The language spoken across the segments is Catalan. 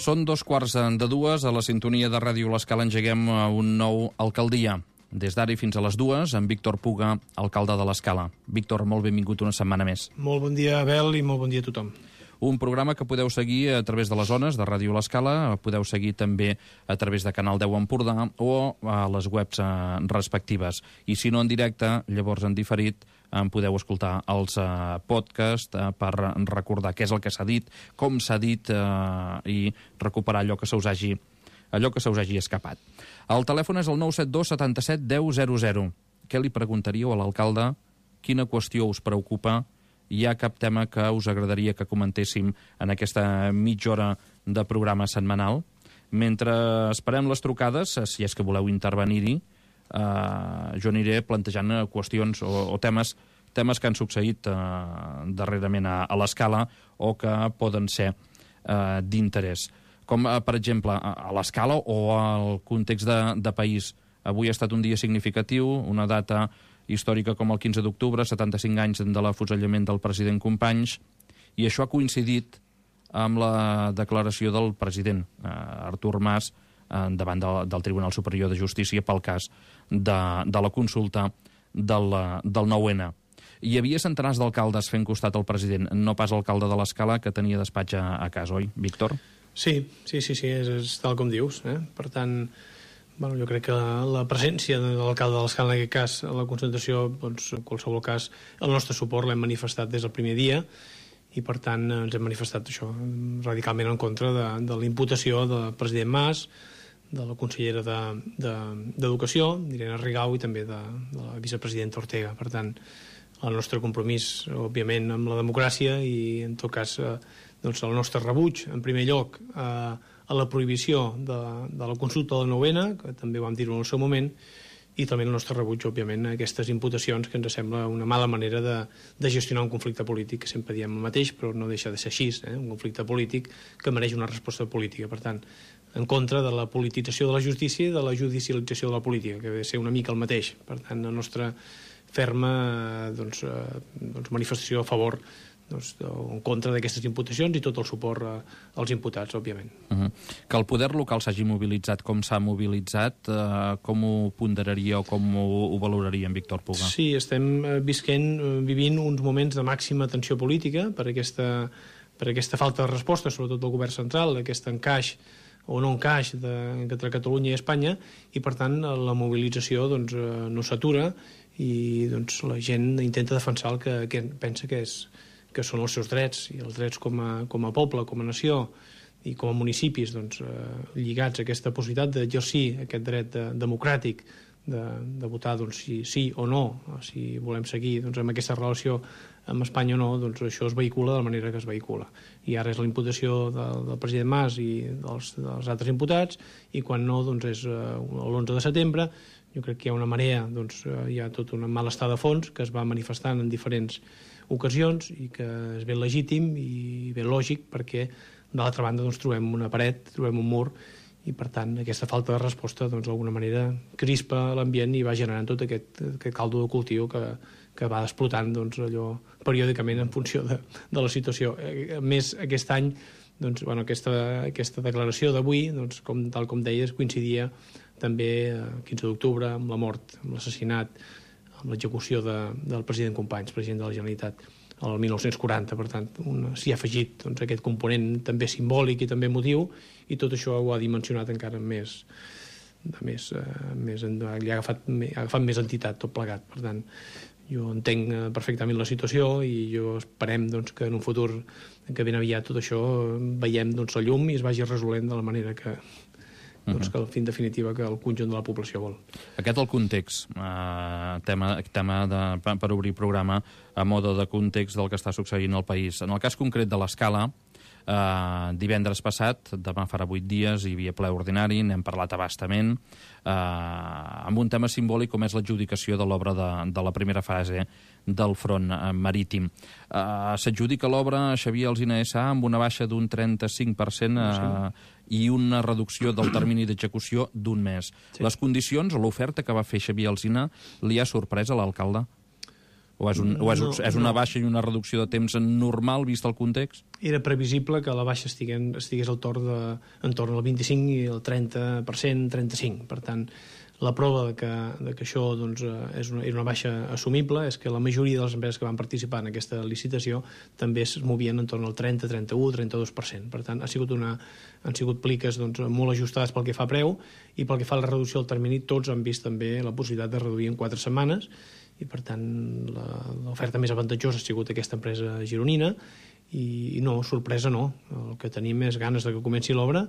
Són 2:15 a la sintonia de Ràdio L'Escala. Engeguem un nou Alcaldia. Des d'ara i fins a les 2, amb Víctor Puga, alcalde de l'Escala. Víctor, molt benvingut una setmana més. Molt bon dia, Abel, i molt bon dia a tothom. Un programa que podeu seguir a través de les zones de Ràdio L'Escala, podeu seguir també a través de Canal 10 Empordà o a les webs respectives. I si no en directe, llavors en diferit, podeu escoltar els podcasts per recordar què és el que s'ha dit, com s'ha dit i recuperar allò que se us hagi escapat. El telèfon és el 972 77 10 00. Què li preguntaríeu a l'alcalde? Quina qüestió us preocupa? Hi ha cap tema que us agradaria que comentéssim en aquesta mitja hora de programa setmanal? Mentre esperem les trucades, si és que voleu intervenir-hi, jo aniré plantejant qüestions o temes que han succeït darrerament a l'Escala o que poden ser d'interès. Com, per exemple, a l'Escala o al context de país. Avui ha estat un dia significatiu, una data històrica com el 15 d'octubre, 75 anys de l'afusellament del president Companys, i això ha coincidit amb la declaració del president Artur Mas davant del Tribunal Superior de Justícia pel cas de la consulta del 9-N. Hi havia centenars d'alcaldes fent costat al president, no pas l'alcalde de l'Escala, que tenia despatx a casa, oi, Víctor? Sí, és tal com dius. Per tant, jo crec que la presència de l'alcalde de l'Escala, en aquest cas, a la concentració, doncs, en qualsevol cas, el nostre suport l'hem manifestat des del primer dia i, per tant, ens hem manifestat això radicalment en contra de la imputació del president Mas, de la consellera d'Educació, Irene Rigau, i també de la vicepresidenta Ortega. Per tant, el nostre compromís, òbviament, amb la democràcia i, en tot cas, doncs el nostre rebuig, en primer lloc, a la prohibició de la consulta del 9-N, que també vam dir-ho en el seu moment, i també el nostre rebuig, òbviament, a aquestes imputacions, que ens sembla una mala manera de gestionar un conflicte polític, que sempre diem el mateix, però no deixa de ser així, un conflicte polític que mereix una resposta política. Per tant, en contra de la politització de la justícia i de la judicialització de la política, que ha de ser una mica el mateix. Per tant, la nostra ferma manifestació a favor en contra d'aquestes imputacions i tot el suport als imputats, òbviament. Que el poder local s'hagi mobilitzat com s'ha mobilitzat, com ho ponderaria o com ho valoraria en Víctor Puga? Sí, estem vivint uns moments de màxima tensió política per aquesta falta de resposta, sobretot del govern central, aquest encaix o no encaix entre Catalunya i Espanya, i per tant la mobilització no s'atura i la gent intenta defensar el que pensa que són els seus drets, i els drets com a poble, com a nació i com a municipis lligats a aquesta possibilitat d'exercir aquest dret democràtic de votar si sí o no, si volem seguir amb aquesta relació amb Espanya o no, això es vehicula de la manera que es vehicula. I ara és la imputació del president Mas i dels altres imputats, i quan no, és l'11 de setembre. Jo crec que hi ha una marea, hi ha tot un malestar de fons que es va manifestant en diferents ocasions i que és ben legítim i ben lògic, perquè d'altra banda trobem una paret, trobem un mur, i per tant aquesta falta de resposta d'alguna manera crispa l'ambient i va generant tot aquest caldo de cultiu que va explotant allò periòdicament en funció de la situació. A més, aquest any aquesta declaració d'avui, tal com deies, coincidia també el 15 d'octubre amb la mort, amb l'assassinat, amb l'execució del president Companys, president de la Generalitat, el 1940. Per tant, s'hi ha afegit aquest component també simbòlic i també emotiu, i tot això ho ha dimensionat encara més, li ha agafat més entitat tot plegat. Per tant, jo entenc perfectament la situació i esperem que en un futur que ben aviat tot això veiem la llum i es vagi resolent de la manera que en definitiva que el conjunt de la població vol. Aquest el context, tema per obrir programa a mode de context del que està succeint al país. En el cas concret de l'Escala, divendres passat, demà farà 8 dies, hi havia ple ordinari, n'hem parlat a bastament, amb un tema simbòlic com és l'adjudicació de l'obra de la primera fase del front marítim. S'adjudica l'obra a Xavier Alsina S.A. amb una baixa d'un 35% i una reducció del termini d'execució d'un mes. Les condicions, l'oferta que va fer Xavier Alsina, li ha sorprès a l'alcalde? O és una baixa i una reducció de temps normal, vist el context? Era previsible que la baixa estigués al torn al 25 i el 30%, 35%. Per tant, la prova de que això doncs, era una baixa assumible és que la majoria de les empreses que van participar en aquesta licitació també es movien en torn al 30, 31, 32%. Per tant, han sigut pliques doncs, molt ajustades pel que fa a preu, i pel que fa a la reducció del termini, tots han vist també la possibilitat de reduir en 4 setmanes, i per tant l'oferta més avantatjosa ha sigut aquesta empresa gironina, i no, sorpresa no. El que tenim és ganes de que comenci l'obra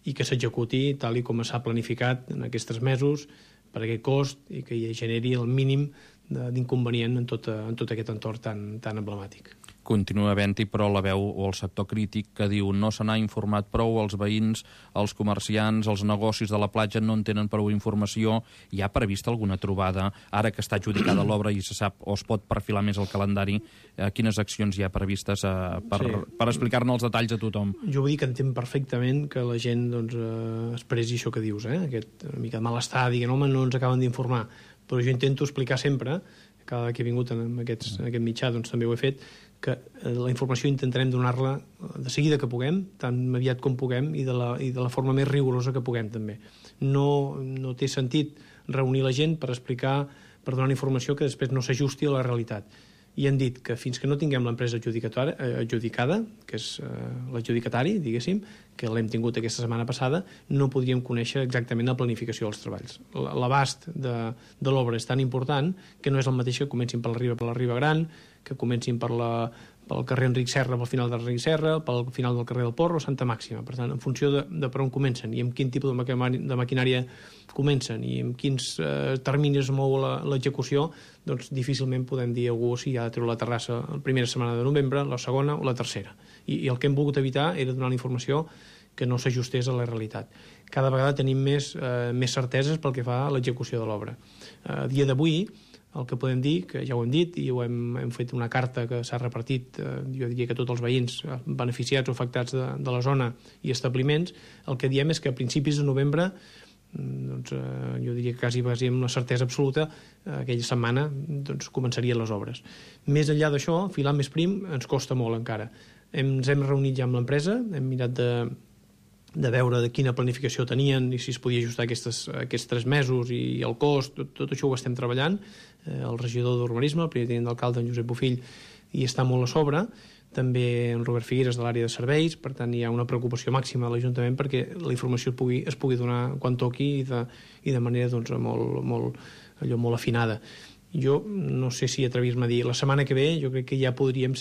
i que s'executi tal i com s'ha planificat en aquests 3 mesos per aquest cost, i que hi generi el mínim d'inconvenient en tot aquest entorn tan emblemàtic. Continua havent-hi, però, la veu o el sector crític que diu no se n'ha informat prou, els veïns, els comerciants, els negocis de la platja no en tenen prou informació. Hi ha prevista alguna trobada, ara que està adjudicada l'obra i se sap o es pot perfilar més el calendari, quines accions hi ha previstes per explicar-ne els detalls a tothom? Jo vull dir que entenc perfectament que la gent doncs, expressi això que dius, aquest una mica de malestar, diguent, home, no ens acaben d'informar, però jo intento explicar sempre, cada que he vingut en aquest mitjà doncs, també ho he fet, que la informació intentarem donar-la de seguida que puguem, tan aviat com puguem, i de la forma més rigorosa que puguem també. No té sentit reunir la gent per donar informació que després no s'ajusti a la realitat. I han dit que fins que no tinguem l'empresa adjudicada, que és l'adjudicatari, diguéssim, que l'hem tingut aquesta setmana passada, no podríem conèixer exactament la planificació dels treballs. L'abast de l'obra és tan important que no és el mateix que comencin per la Riba Gran, que comencin pel carrer Enric Serra, pel final d'Enric Serra, pel final del carrer del Porro o Santa Màxima. Per tant, en funció de per on comencen i amb quin tipus de maquinària comencen i amb quins terminis es mou l'execució, doncs difícilment podem dir a algú si ha de treure la terrassa la primera setmana de novembre, la segona o la tercera. I el que hem volgut evitar era donar la informació que no s'ajustés a la realitat. Cada vegada tenim més certeses pel que fa a l'execució de l'obra. A dia d'avui, el que podem dir, que ja ho hem dit i hem fet una carta que s'ha repartit, jo diria que tots els veïns beneficiats o afectats de la zona i establiments, el que diem és que a principis de novembre, doncs, jo diria que quasi amb una certesa absoluta, aquella setmana doncs, començarien les obres. Més enllà d'això, filar més prim ens costa molt encara. Ens hem reunit ja amb l'empresa, hem mirat de veure de quina planificació tenien i si es podia ajustar aquests 3 mesos i el cost, tot això ho estem treballant. El regidor d'Urbanisme, el primer tinent d'alcalde, en Josep Bofill, hi està molt a sobre, també en Robert Figueres de l'àrea de serveis, per tant hi ha una preocupació màxima a l'Ajuntament perquè la informació es pugui donar quan toqui i de manera doncs, molt afinada. Jo no sé si atrevir-me a dir la setmana que ve, jo crec que ja hauríem de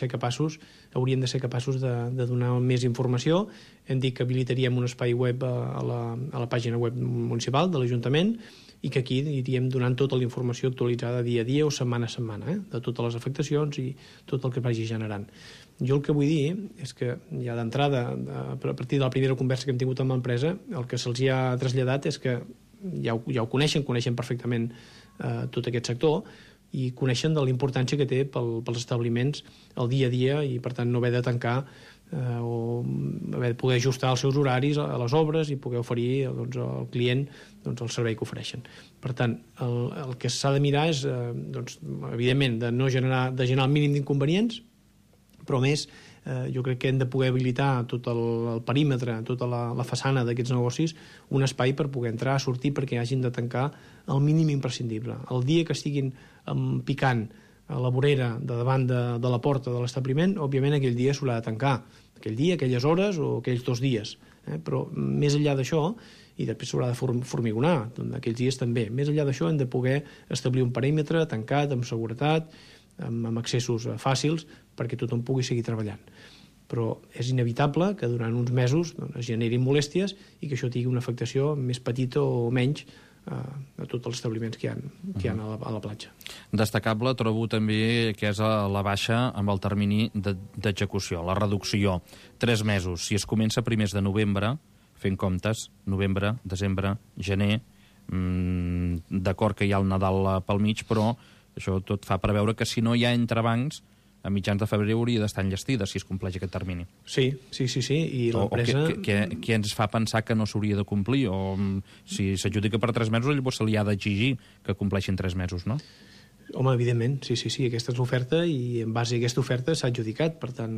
ser capaços de donar més informació. Hem dit que habilitaríem un espai web a la pàgina web municipal de l'Ajuntament i que aquí iríem donant tota la informació actualitzada dia a dia o setmana a setmana, de totes les afectacions i tot el que vagi generant. Jo el que vull dir és que ja d'entrada, a partir de la primera conversa que hem tingut amb l'empresa, el que se'ls ha traslladat és que ja ho coneixen perfectament tot aquest sector i coneixen de la importància que té pels establiments el dia a dia i per tant no haver de tancar o haver de poder ajustar els seus horaris a les obres i poder oferir doncs, al client doncs, el servei que ofereixen. Per tant, el que s'ha de mirar és doncs, evidentment de generar el mínim d'inconvenients, però més jo crec que hem de poder habilitar tot el perímetre, tota la façana d'aquests negocis, un espai per poder entrar, sortir, perquè hagin de tancar el mínim imprescindible. El dia que estiguin picant a la vorera de davant de la porta de l'establiment, òbviament aquell dia s'haurà de tancar. Aquell dia, aquelles hores o aquells 2 dies. Però més enllà d'això, i després s'haurà de formigonar, aquells dies també. Més enllà d'això hem de poder establir un perímetre tancat, amb seguretat, amb accessos fàcils, perquè tothom pugui seguir treballant. Però és inevitable que durant uns mesos es generin molèsties i que això tingui una afectació més petita o menys a tots els establiments que hi ha a la platja. Destacable trobo també que és la baixa amb el termini d'execució, la reducció. 3 mesos. Si es comença a primers de novembre, fent comptes, novembre, desembre, gener, d'acord que hi ha el Nadal pel mig, però això tot fa preveure que si no hi ha entrebancs, a mitjans de febrer hauria d'estar enllestida si es compleix aquest termini. Sí. I l'empresa... Què ens fa pensar que no s'hauria de complir? O si s'adjudica per 3 mesos, llavors se li ha d'exigir que compleixin 3 mesos, no? Home, evidentment, sí, aquesta és l'oferta i en base a aquesta oferta s'ha adjudicat, per tant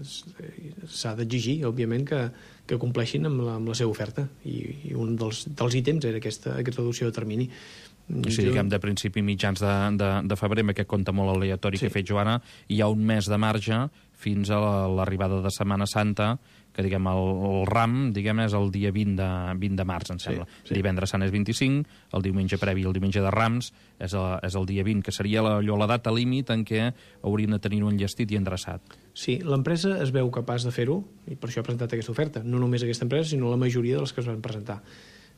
s'ha d'exigir, òbviament, que compleixin amb la seva oferta i un dels ítems era aquesta reducció de termini. Si diguem de principi mitjans de febrer, amb aquest compte molt aleatori que ha fet Joana, hi ha un mes de marge fins a l'arribada de Setmana Santa, que diguem el ram és el dia 20 de març, em sembla. Divendres Sant és 25, el diumenge previ, el diumenge de Rams, és el dia 20, que seria la data límit en què haurien de tenir-ho enllestit i endreçat. Sí, l'empresa es veu capaç de fer-ho, i per això ha presentat aquesta oferta. No només aquesta empresa, sinó la majoria de les que es van presentar.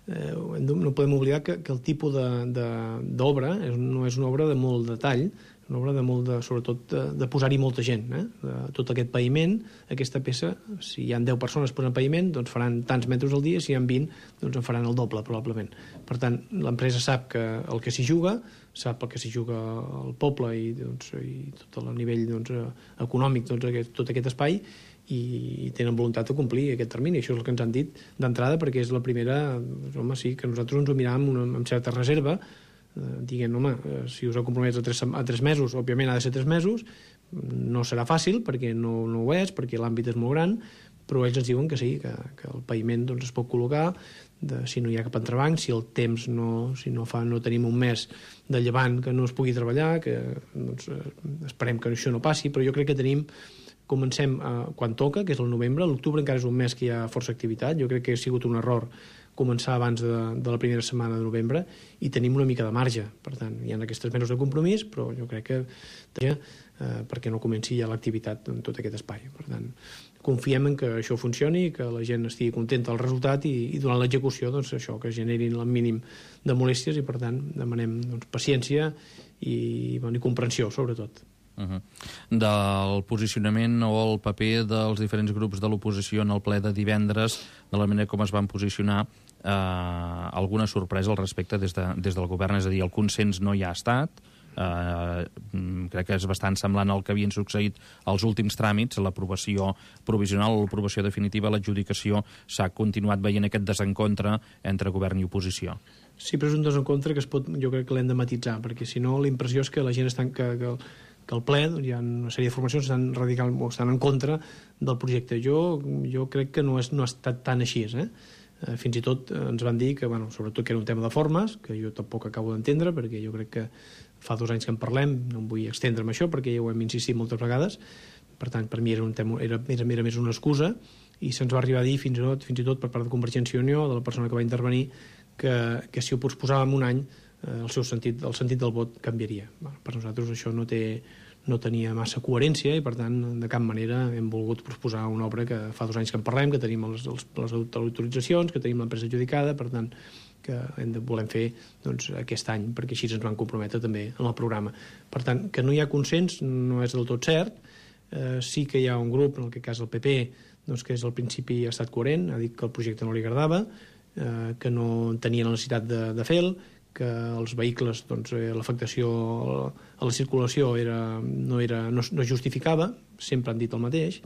No podem oblidar que el tipus d'obra no és una obra de molt detall, una obra sobretot de posar-hi molta gent. Tot aquest paviment, aquesta peça, si hi ha 10 persones posant paviment, doncs faran tants metres al dia, si hi ha 20, doncs en faran el doble, probablement. Per tant, l'empresa sap que el que s'hi juga, sap el que s'hi juga el poble i tot el nivell econòmic, tot aquest espai, i tenen voluntat de complir aquest termini. Això és el que ens han dit d'entrada, perquè és la primera, home, sí, que nosaltres ens ho miràvem amb certa reserva, dient, home, si us heu compromès a 3 mesos, òbviament ha de ser 3 mesos, no serà fàcil, perquè no ho és, perquè l'àmbit és molt gran, però ells ens diuen que sí, que el paviment es pot col·locar, si no hi ha cap entrebanc, si el temps no tenim un mes de llevant que no es pugui treballar, que esperem que això no passi, però jo crec que comencem quan toca, que és el novembre. L'octubre encara és un mes que hi ha força activitat. Jo crec que ha sigut un error començar abans de la primera setmana de novembre i tenim una mica de marge. Per tant, hi ha aquests mesos de compromís, però jo crec que perquè no comenci ja l'activitat en tot aquest espai. Per tant, confiem en que això funcioni, que la gent estigui contenta del resultat i durant l'execució, això, que generin el mínim de molèsties i, per tant, demanem paciència i comprensió, sobretot. Del posicionament o el paper dels diferents grups de l'oposició en el ple de divendres, de la manera com es van posicionar, alguna sorpresa al respecte des del govern? És a dir, el consens no hi ha estat, crec que és bastant semblant al que havien succeït als últims tràmits, l'aprovació provisional o l'aprovació definitiva, l'adjudicació, s'ha continuat veient aquest desencontre entre govern i oposició. Sí, però és un desencontre que jo crec que l'hem de matitzar, perquè si no la impressió és que la gent està que al ple hi ha una sèrie de formacions que estan en contra del projecte. Jo crec que no ha estat tan així. Fins i tot ens van dir que, sobretot que era un tema de formes, que jo tampoc acabo d'entendre, perquè jo crec que fa 2 anys que en parlem, no em vull estendre en això, perquè ja ho hem insistit moltes vegades. Per tant, per mi era més una excusa, i se'ns va arribar a dir fins i tot per part de Convergència i Unió, de la persona que va intervenir, que si ho posposàvem un any, el sentit del vot canviaria. Per nosaltres això no tenia massa coherència i, per tant, de cap manera hem volgut posposar una obra que fa 2 anys que en parlem, que tenim les autoritzacions, que tenim l'empresa adjudicada, per tant, que volem fer aquest any, perquè així ens van comprometre també en el programa. Per tant, que no hi ha consens no és del tot cert. Sí que hi ha un grup, en aquest cas el PP, que al principi ha estat coherent, ha dit que el projecte no li agradava, que no tenia la necessitat de fer-lo, que els vehicles, l'afectació a la circulació no justificava, sempre han dit el mateix,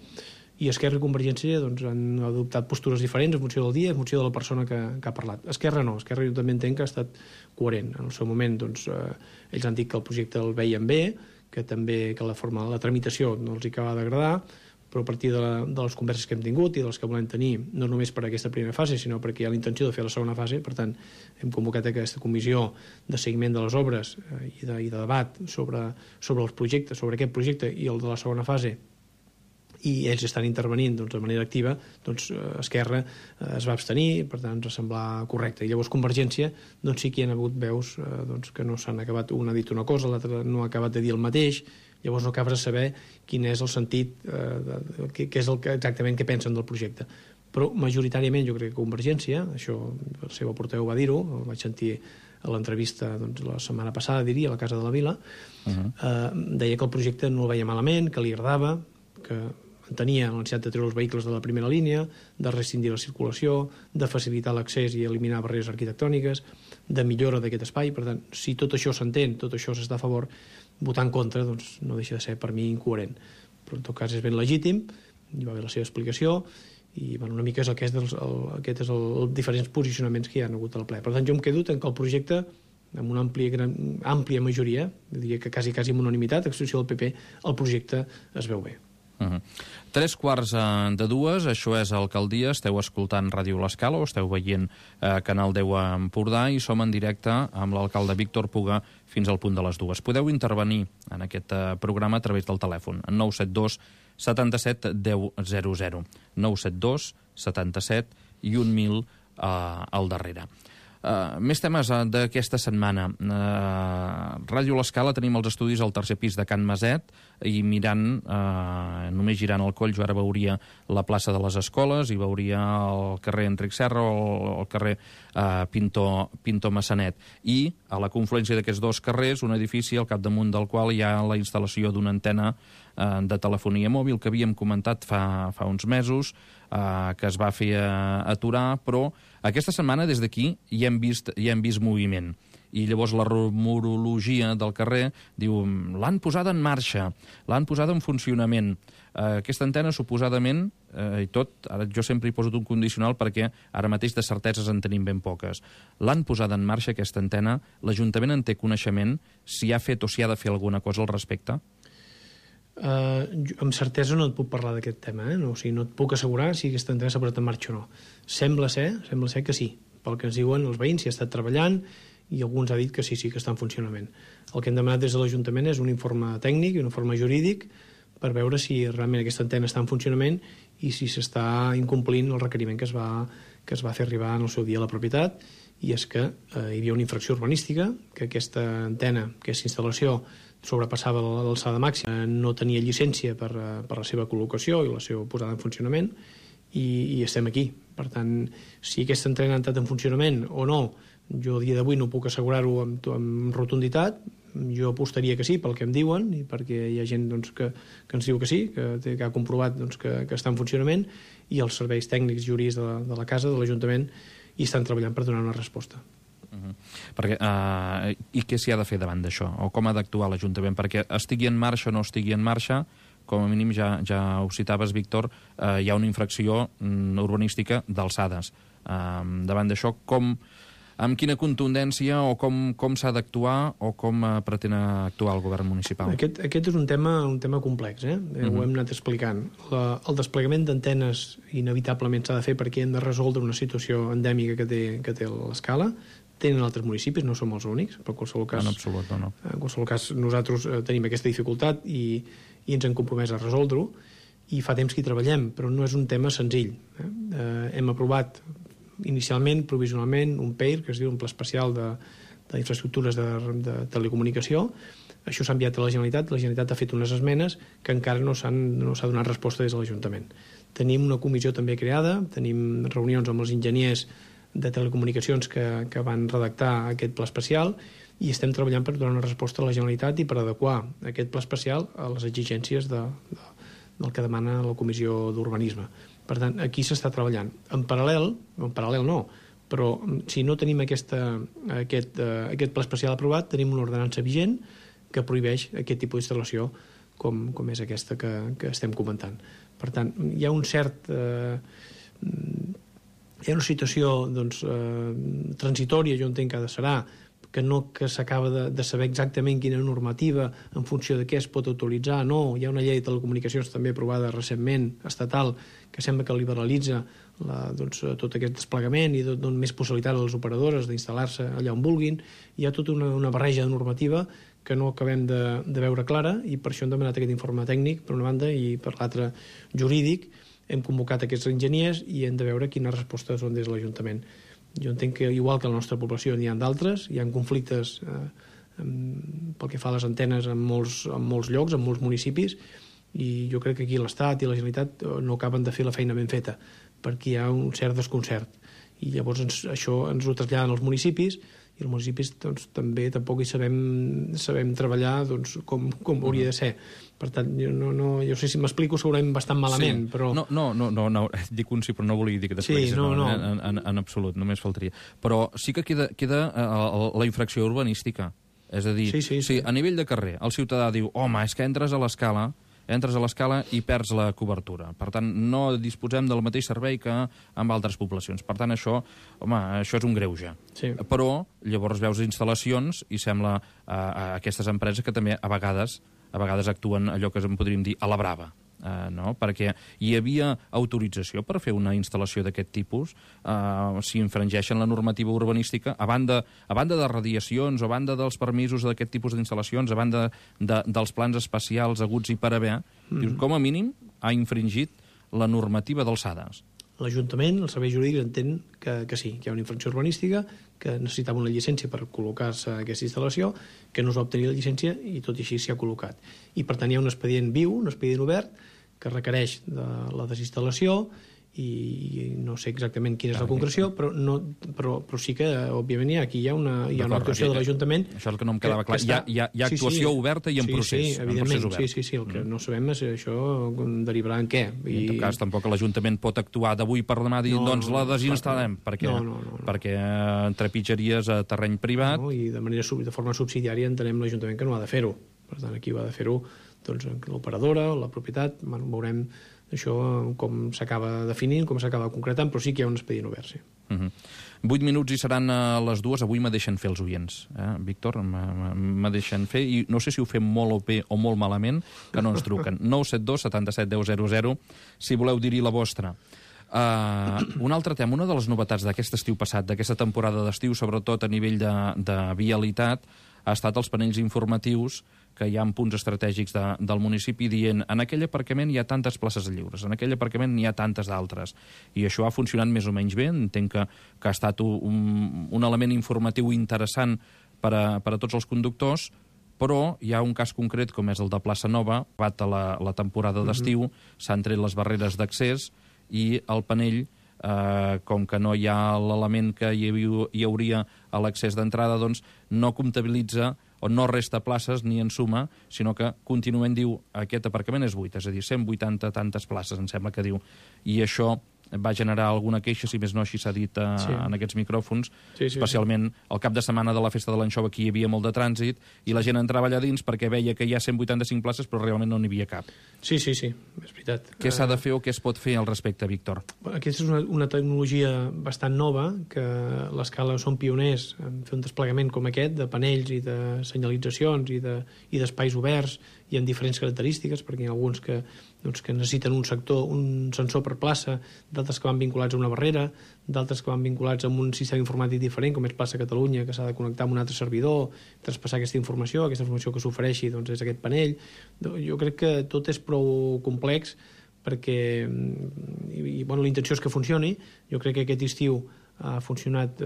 i Esquerra i Convergència han adoptat postures diferents en funció del dia, en funció de la persona que ha parlat. Esquerra no, Esquerra jo també entenc que ha estat coherent. En el seu moment ells han dit que el projecte el veien bé, que també que la tramitació no els acaba d'agradar, però a partir de les converses que hem tingut i de les que volem tenir, no només per aquesta primera fase, sinó perquè hi ha la intenció de fer la segona fase, per tant, hem convocat aquesta comissió de seguiment de les obres i de debat sobre els projectes, sobre aquest projecte i el de la segona fase, i ells estan intervenint de manera activa. Esquerra es va abstenir, per tant ens va semblar correcte, i llavors Convergència sí que hi ha hagut veus que no s'han acabat, un ha dit una cosa, l'altre no ha acabat de dir el mateix, llavors no acabes de saber quin és el sentit, què és exactament què pensen del projecte. Però majoritàriament jo crec que Convergència, això el seu portaveu va dir-ho, el vaig sentir a l'entrevista la setmana passada, diria, a la Casa de la Vila, deia que el projecte no el veia malament, que li agradava, que entenia la necessitat de treure els vehicles de la primera línia, de rescindir la circulació, de facilitar l'accés i eliminar barreres arquitectòniques, de millora d'aquest espai. Per tant, si tot això s'entén, tot això s'està a favor, votar en contra no deixa de ser per mi incoherent. Però en tot cas és ben legítim, hi va haver la seva explicació, i una mica és aquests els diferents posicionaments que hi ha hagut al ple. Per tant, jo em quedo que el projecte amb una àmplia majoria, diria que quasi amb unanimitat, a excepció del PP, el projecte es veu bé. 3:45, això és Alcaldia, esteu escoltant Ràdio L'Escala o esteu veient Canal 10 a Empordà i som en directe amb l'alcalde Víctor Puga fins al punt de les 2. Podeu intervenir en aquest programa a través del telèfon, 972 77 10 00, 972 77 i 1000 al darrere. Més temes d'aquesta setmana. Ràdio L'Escala, tenim els estudis al tercer pis de Can Maset i mirant, només girant el coll, jo ara veuria la plaça de les Escoles i veuria el carrer Enric Serra o el carrer Pinto Massanet. I a la confluència d'aquests dos carrers, un edifici al capdamunt del qual hi ha la instal·lació d'una antena de telefonia mòbil que havíem comentat fa uns mesos, que es va fer aturar, però aquesta setmana des d'aquí ja hem vist moviment. I llavors la rumorologia del carrer diu l'han posada en marxa, l'han posada en funcionament. Aquesta antena suposadament, i tot, ara jo sempre hi poso un condicional perquè ara mateix de certeses en tenim ben poques. L'han posada en marxa aquesta antena, l'Ajuntament en té coneixement, si ha fet o si ha de fer alguna cosa al respecte? Amb certesa no et puc parlar d'aquest tema, no, o sigui, no et puc assegurar si aquesta antena s'ha posat en marxa o no. Sembla ser que sí, pel que ens diuen els veïns, s'hi ha estat treballant i alguns ha dit que sí que està en funcionament. El que hem demanat des de l'Ajuntament és un informe tècnic i un informe jurídic per veure si realment aquesta antena està en funcionament i si s'està incomplint el requeriment que es va fer arribar en el seu dia a la propietat, i és que hi havia una infracció urbanística, que aquesta antena, aquesta instal·lació sobrepassava l'alçada màxima, no tenia llicència per la seva col·locació i la seva posada en funcionament, i estem aquí. Per tant, si aquesta antena ha entrat en funcionament o no, jo a dia d'avui no puc assegurar-ho amb rotunditat. Jo apostaria que sí, pel que em diuen, i perquè hi ha gent que ens diu que sí, que ha comprovat que està en funcionament, i els serveis tècnics jurídics de la casa, de l'Ajuntament, hi estan treballant per donar una resposta. Perquè, i què s'hi ha de fer davant d'això? O com ha d'actuar l'Ajuntament? Perquè estigui en marxa o no estigui en marxa, com a mínim ja ho citaves, Víctor, hi ha una infracció urbanística d'alçades. Davant d'això, amb quina contundència o com s'ha d'actuar o com pretén actuar el govern municipal? Aquest és un tema complex, ho hem anat explicant. El desplegament d'antenes inevitablement s'ha de fer perquè hem de resoldre una situació endèmica que té l'Escala. Tenen altres municipis, no som els únics, però en qualsevol cas, en absolut, no. En qualsevol cas nosaltres tenim aquesta dificultat i ens hem compromès a resoldre-ho, i fa temps que hi treballem, però no és un tema senzill. Hem aprovat inicialment, provisionalment, un PEIR, que es diu un Pla Especial d'Infraestructures de Telecomunicació. Això s'ha enviat a la Generalitat ha fet unes esmenes que encara no s'ha donat resposta des de l'Ajuntament. Tenim una comissió també creada, tenim reunions amb els enginyers de telecomunicacions que van redactar aquest pla especial, i estem treballant per donar una resposta a la Generalitat i per adequar aquest pla especial a les exigències del que demana la Comissió d'Urbanisme. Per tant, aquí s'està treballant. En paral·lel no, però si no tenim aquest pla especial aprovat, tenim una ordenança vigent que prohibeix aquest tipus d'instal·lació com és aquesta que estem comentant. Per tant, hi ha hi ha una situació transitòria, jo entenc que serà, que s'acaba de saber exactament quina normativa en funció de què es pot autoritzar. No, hi ha una llei de telecomunicacions també aprovada recentment, estatal, que sembla que liberalitza tot aquest desplegament i dona més possibilitat a les operadores d'instal·lar-se allà on vulguin. Hi ha tota una barreja de normativa que no acabem de veure clara, i per això hem demanat aquest informe tècnic, per una banda, i per l'altra jurídic. Hem convocat aquests enginyers i hem de veure quines respostes són des de l'Ajuntament. Jo entenc que, igual que a la nostra població, n'hi ha d'altres, hi ha conflictes pel que fa a les antenes en molts llocs, en molts municipis, i jo crec que aquí l'Estat i la Generalitat no acaben de fer la feina ben feta, perquè hi ha un cert desconcert. I llavors això ens ho traslladen als municipis, i els municipis tampoc hi sabem treballar com hauria de ser. Per tant, jo sé si m'explico segurament bastant malament, sí. Però... No, dic un sí, però no volia dir que t'expliquis. Sí, no. En absolut, només faltaria. Però sí que queda la infracció urbanística. És a dir, sí. A nivell de carrer, el ciutadà diu, home, és que entres a l'Escala entres a l'Escala i perds la cobertura. Per tant, no disposem del mateix servei que amb altres poblacions. Per tant, això és un greuge. Sí. Però llavors veus instal·lacions i sembla a aquestes empreses que també a vegades actuen allò que en podríem dir a la brava. No? Perquè hi havia autorització per fer una instal·lació d'aquest tipus si infringeixen la normativa urbanística a banda de radiacions, a banda dels permisos d'aquest tipus d'instal·lacions, a banda dels plans especials haguts i per haver, dius, com a mínim ha infringit la normativa d'alçades. L'Ajuntament, el servei jurídic, entén que sí, que hi ha una infracció urbanística, que necessitava una llicència per col·locar-se aquesta instal·lació, que no es va obtenir la llicència i tot i així s'hi ha col·locat. I per tant hi ha un expedient viu, un expedient obert, que requereix de la desinstal·lació i no sé exactament quina és la concreció, però sí que, òbviament, aquí hi ha una actuació de l'Ajuntament. Això és el que no em quedava clar. Hi ha actuació oberta i en procés. Sí, evidentment. Sí, el que no sabem és això derivarà en què. I en tot cas, tampoc l'Ajuntament pot actuar d'avui per demà dient, doncs la desinstal·lem, perquè trepitjaries a terreny privat. I de forma subsidiària entenem l'Ajuntament que no ha de fer-ho. Per tant, aquí va de fer-ho l'operadora, la propietat, veurem això com s'acaba definint, com s'acaba concretant, però sí que hi ha un expedient obert, sí. 8 minuts i seran a les 2. Avui me deixen fer els oients, Víctor, me deixen fer, i no sé si ho fem molt bé o molt malament, que no ens truquen. 972 77 10 00, si voleu dir-hi la vostra. Un altre tema, una de les novetats d'aquest estiu passat, d'aquesta temporada d'estiu, sobretot a nivell de vialitat, ha estat els panells informatius que hi ha en punts estratègics del municipi dient en aquell aparcament hi ha tantes places lliures, en aquell aparcament n'hi ha tantes d'altres. I això ha funcionat més o menys bé, entenc que ha estat un element informatiu interessant per a tots els conductors, però hi ha un cas concret com és el de Plaça Nova, bat a la temporada d'estiu, s'han tret les barreres d'accés i el panell, com que no hi ha l'element que hi hauria a l'accés d'entrada, doncs no comptabilitza o no resta places ni en suma, sinó que continuament diu aquest aparcament és buit, és a dir, 180 tantes places, em sembla que diu. I això va generar alguna queixa, si més no així s'ha dit en aquests micròfons, especialment el cap de setmana de la festa de l'Anxova, aquí hi havia molt de trànsit i la gent entrava allà dins perquè veia que hi ha 185 places però realment no n'hi havia cap. Sí, és veritat. Què s'ha de fer o què es pot fer al respecte, Víctor? Aquesta és una tecnologia bastant nova, que l'Escala són pioners en fer un desplegament com aquest, de panells i de senyalitzacions i d'espais oberts i amb diferents característiques, perquè hi ha alguns que necessiten un sensor per plaça, d'altres que van vinculats a una barrera, d'altres que van vinculats a un sistema informàtic diferent, com és Plaça Catalunya, que s'ha de connectar amb un altre servidor, traspassar aquesta informació que s'ofereixi és aquest panell. Jo crec que tot és prou complex perquè la intenció és que funcioni. Jo crec que aquest estiu ha funcionat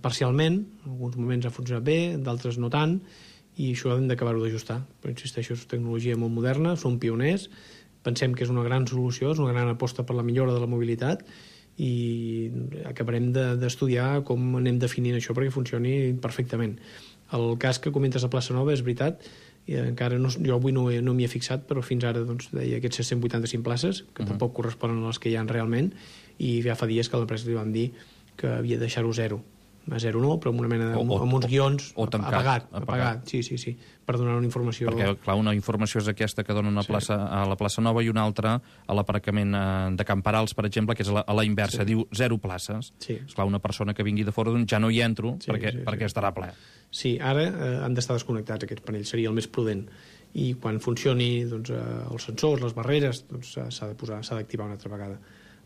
parcialment, en alguns moments ha funcionat bé, d'altres no tant, i això hem d'acabar-ho d'ajustar. Però insisteixo, és tecnologia molt moderna, som pioners, pensem que és una gran solució, és una gran aposta per la millora de la mobilitat i acabarem d'estudiar com anem definint això perquè funcioni perfectament. El cas que comentes a Plaça Nova és veritat, i encara jo avui no m'hi he fixat, però fins ara deia aquests 185 places, que tampoc corresponen a les que hi ha realment, i ja fa dies que a l'empresa li van dir que havia de deixar-ho zero. A zero no, però amb una mena amb uns guions apagat. Sí, per donar una informació. Perquè, clar, una informació és aquesta que dona a la plaça Nova i una altra a l'aparcament de Can Parals, per exemple, que és a la inversa, diu 0 places. Esclar, una persona que vingui de fora ja no hi entro perquè estarà ple. Sí, ara han d'estar desconnectats aquests panells, seria el més prudent. I quan funcioni els sensors, les barreres, s'ha d'activar una altra vegada.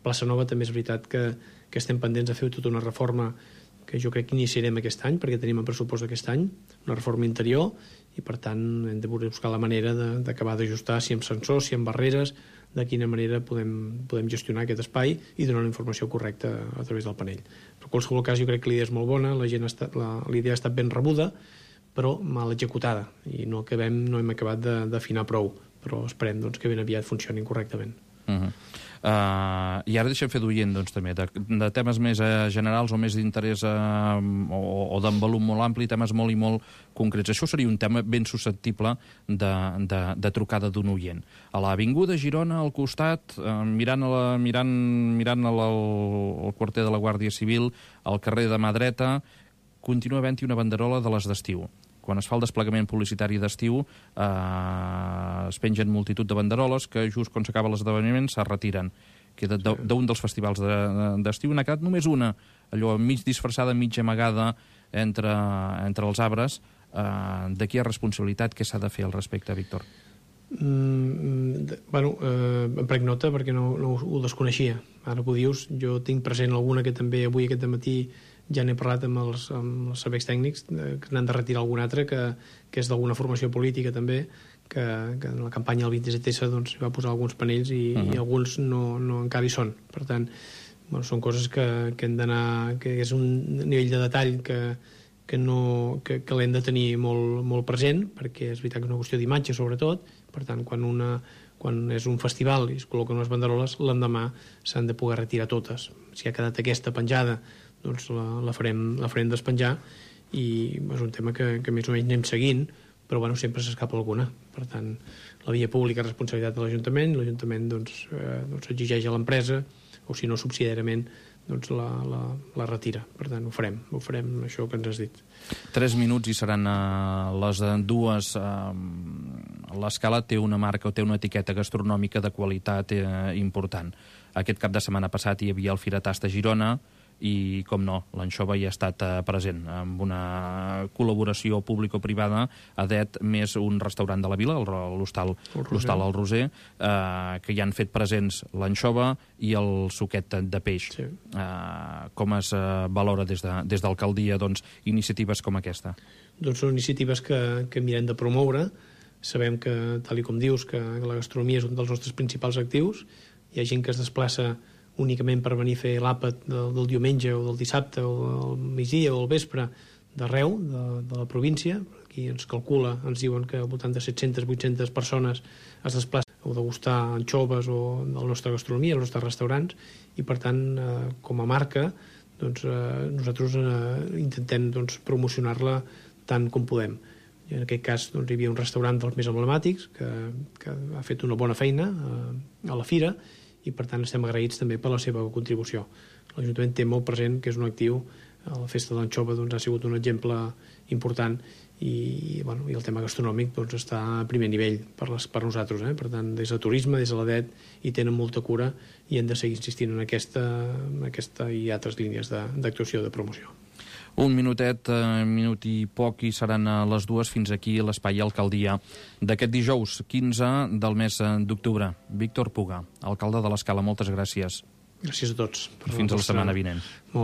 Plaça Nova també és veritat que estem pendents de fer tota una reforma que jo crec que iniciarem aquest any, perquè tenim el pressupost d'aquest any, una reforma interior, i per tant hem de buscar la manera d'acabar d'ajustar, si amb sensors, si amb barreres, de quina manera podem gestionar aquest espai i donar una informació correcta a través del panell. Però en qualsevol cas jo crec que l'idea és molt bona, la idea ha estat ben rebuda, però mal executada, i no hem acabat d'afinar prou, però esperem que ben aviat funcionin correctament. I ara deixem fer d'oient també de temes més generals o més d'interès o d'envolum molt ampli, temes molt i molt concrets. Això seria un tema ben susceptible de trucada d'un oient. A l'avinguda Girona, al costat, mirant el quarter de la Guàrdia Civil, al carrer de mà dreta, continua havent-hi una banderola de les d'estiu. quan es fa el desplegament publicitari d'estiu, es pengen multitud de banderoles que just quan s'acaba l'esdeveniment se retiren. Queda d'un dels festivals d'estiu, n'ha quedat només una, allò mig disfressada, mig amagada entre els arbres. De qui és responsabilitat? Què s'ha de fer al respecte, Víctor? Bueno, em prenc nota perquè no ho desconeixia. Ara ho dius, jo tinc present alguna que també avui aquest matí ja n'he parlat amb els serveis tècnics, que n'han de retirar algun altre, que és d'alguna formació política també, que en la campanya del 27S doncs, va posar alguns panells i alguns no encara hi són. Per tant, bueno, són coses que hem d'anar, que és un nivell de detall que l'hem de tenir molt present, perquè és veritat que és una qüestió d'imatge sobretot. Per tant, quan és un festival i es col·loquen unes banderoles, l'endemà s'han de poder retirar totes. Si ha quedat aquesta penjada, doncs la farem despenjar, i és un tema que més o menys anem seguint, però bueno, sempre s'escapa alguna. Per tant, la via pública és responsabilitat de l'Ajuntament doncs, exigeix a l'empresa, o si no subsidiàriament doncs la retira. Per tant, ho farem això que ens has dit. 3 minuts i seran les dues. L'Escala té una marca o té una etiqueta gastronòmica de qualitat important. Aquest cap de setmana passat hi havia el Firatast a Girona, i, com no, l'anxova hi ha estat present, amb una col·laboració público-privada, ADET, més un restaurant de la vila, l'Hostal El Roser, que hi han fet presents l'anxova i el suquet de peix. Sí. Com es valora des d'alcaldia iniciatives com aquesta? Doncs són iniciatives que mirem de promoure. Sabem que, tal com dius, que la gastronomia és un dels nostres principals actius. Hi ha gent que es desplaça únicament per venir a fer l'àpat del diumenge o del dissabte o del migdia o del vespre d'arreu de la província. Aquí ens calcula, ens diuen que al voltant de 700-800 persones es desplacen a degustar anxoves o de la nostra gastronomia, els nostres restaurants, i per tant, com a marca, doncs, nosaltres intentem promocionar-la tant com podem. I en aquest cas hi havia un restaurant dels més emblemàtics que ha fet una bona feina a la fira, i per tant estem agraïts també per la seva contribució. L'Ajuntament té molt present que és un actiu. La festa de l'anxova ha sigut un exemple important, i el tema gastronòmic està a primer nivell per nosaltres. Per tant, des de turisme, des de l'ADET, hi tenen molta cura i hem de seguir insistint en aquesta i altres línies d'actuació de promoció. Un minutet, minut i poc, i seran les dues. Fins aquí l'Espai Alcaldia d'aquest dijous 15 del mes d'octubre. Víctor Puga, alcalde de l'Escala, moltes gràcies. Gràcies a tots. Fins la setmana vinent.